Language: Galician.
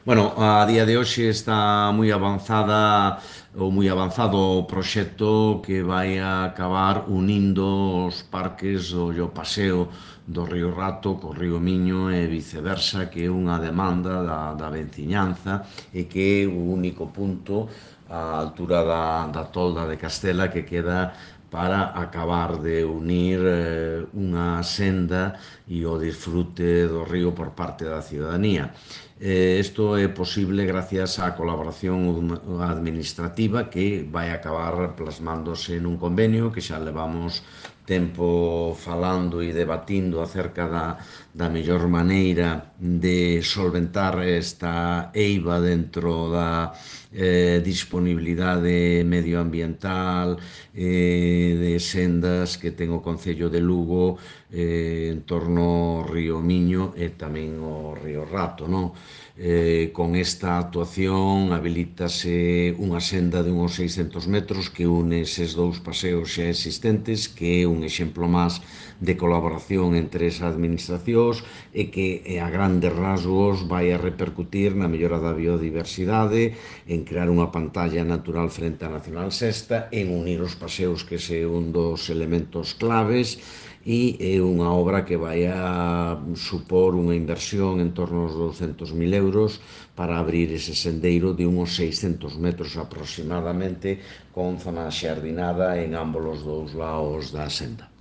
Bueno, a día de hoxe está moi avanzada ou moi avanzado o proxecto que vai a acabar unindo os parques do paseo do Río Rato co Río Miño e viceversa, que é unha demanda da veciñanza e que é o único punto á altura da tolda de Castela que queda para acabar de unir unha senda e o disfrute do río por parte da ciudadanía. Isto é posible gracias á colaboración administrativa que vai acabar plasmándose nun convenio que xa levamos tempo falando e debatindo acerca da mellor maneira de solventar esta eiva dentro da disponibilidade medioambiental de sendas que ten o Concello de Lugo en torno ao río Miño e tamén ao río Rato, non? Con esta actuación habilítase unha senda de uns 600 metros que une eses dous paseos xa existentes, que é un exemplo máis de colaboración entre esas administracións e que a grandes rasgos vai a repercutir na mellora da biodiversidade, en crear unha pantalla natural frente á Nacional Sexta, en unir os paseos, que é un dos elementos claves, e é unha obra que vai a supor unha inversión en torno aos 200.000 euros para abrir ese sendeiro de uns 600 metros aproximadamente con zona xardinada en ambos os dous lados da senda.